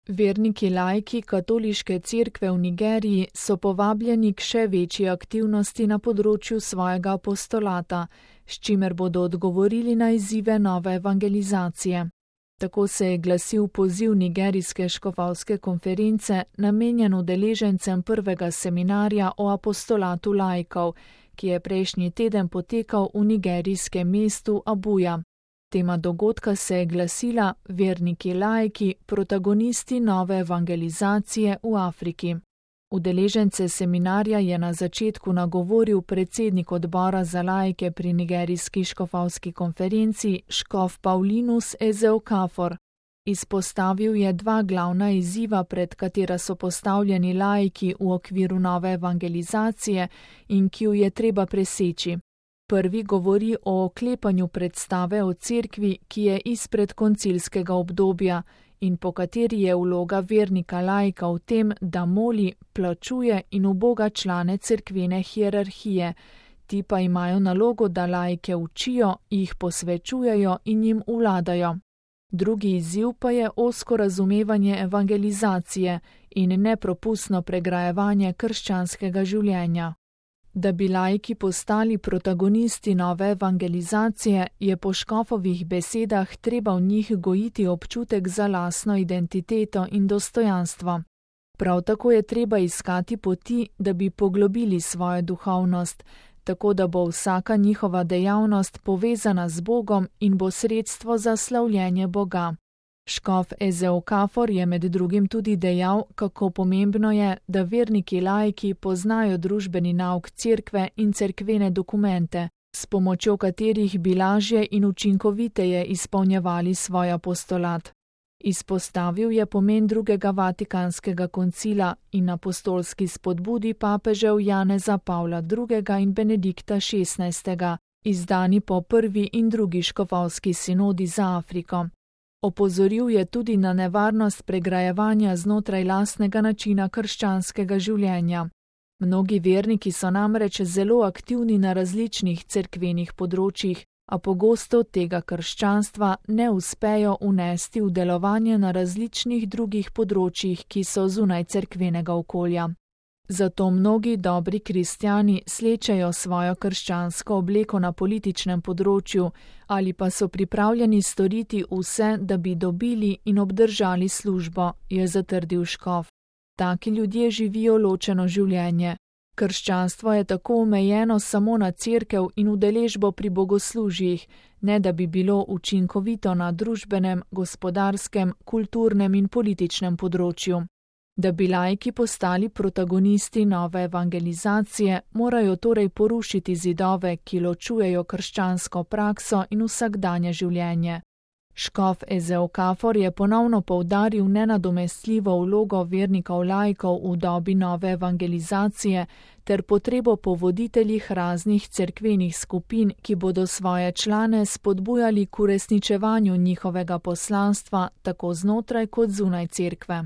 Verniki laiki katoliške cerkve v Nigeriji so povabljeni k še večji aktivnosti na področju svojega apostolata, s čimer bodo odgovorili na izzive nove evangelizacije. Tako se je glasil poziv nigerijske škofovske konference, namenjen udeležencem prvega seminarja o apostolatu laikov, ki je prejšnji teden potekal v nigerijskem mestu Abuja. Tema dogodka se je glasila Verniki laiki, protagonisti nove evangelizacije v Afriki. Udeležence seminarja je na začetku nagovoril predsednik odbora za laike pri nigerijski škofovski konferenci, škof Paulinus Ezeokafor. Izpostavil je dva glavna izziva, pred katera so postavljeni laiki v okviru nove evangelizacije in ki ju je treba preseči. Prvi govori o oklepanju predstave o cerkvi, ki je izpred koncilskega obdobja in po kateri je vloga vernika laika v tem, da moli, plačuje in uboga člane cerkvene hierarhije. Ti pa imajo nalogo, da laike učijo, jih posvečujejo in jim vladajo. Drugi izziv pa je ozko razumevanje evangelizacije in nepropustno pregrajevanje krščanskega življenja. Da bi laiki postali protagonisti nove evangelizacije, je po škofovih besedah treba v njih gojiti občutek za lastno identiteto in dostojanstvo. Prav tako je treba iskati poti, da bi poglobili svojo duhovnost, tako da bo vsaka njihova dejavnost povezana z Bogom in bo sredstvo za slavljenje Boga. Škof Ezeokafor je med drugim tudi dejal, kako pomembno je, da verniki laiki poznajo družbeni nauk cerkve in cerkvene dokumente, s pomočjo katerih bi lažje in učinkoviteje izpolnjevali svoj apostolat. Izpostavil je pomen drugega vatikanskega koncila in apostolski spodbudi papežev Janeza Pavla II. In Benedikta XVI., izdani po prvi in drugi škofovski sinodi za Afriko. Opozoril je tudi na nevarnost pregrajevanja znotraj lastnega načina krščanskega življenja. Mnogi verniki so namreč zelo aktivni na različnih cerkvenih področjih, a pogosto tega krščanstva ne uspejo unesti v delovanje na različnih drugih področjih, ki so zunaj cerkvenega okolja. Zato mnogi dobri kristjani slečejo svojo krščansko obleko na političnem področju ali pa so pripravljeni storiti vse, da bi dobili in obdržali službo, je zatrdil škof. Taki ljudje živijo ločeno življenje. Krščanstvo je tako omejeno samo na cerkev in udeležbo pri bogoslužjih, ne da bi bilo učinkovito na družbenem, gospodarskem, kulturnem in političnem področju. Da bi laiki postali protagonisti nove evangelizacije, morajo torej porušiti zidove, ki ločujejo krščansko prakso in vsakdanje življenje. Škof Ezeokafor je ponovno poudaril nenadomestljivo vlogo vernikov laikov v dobi nove evangelizacije ter potrebo po voditeljih raznih cerkvenih skupin, ki bodo svoje člane spodbujali k uresničevanju njihovega poslanstva tako znotraj kot zunaj cerkve.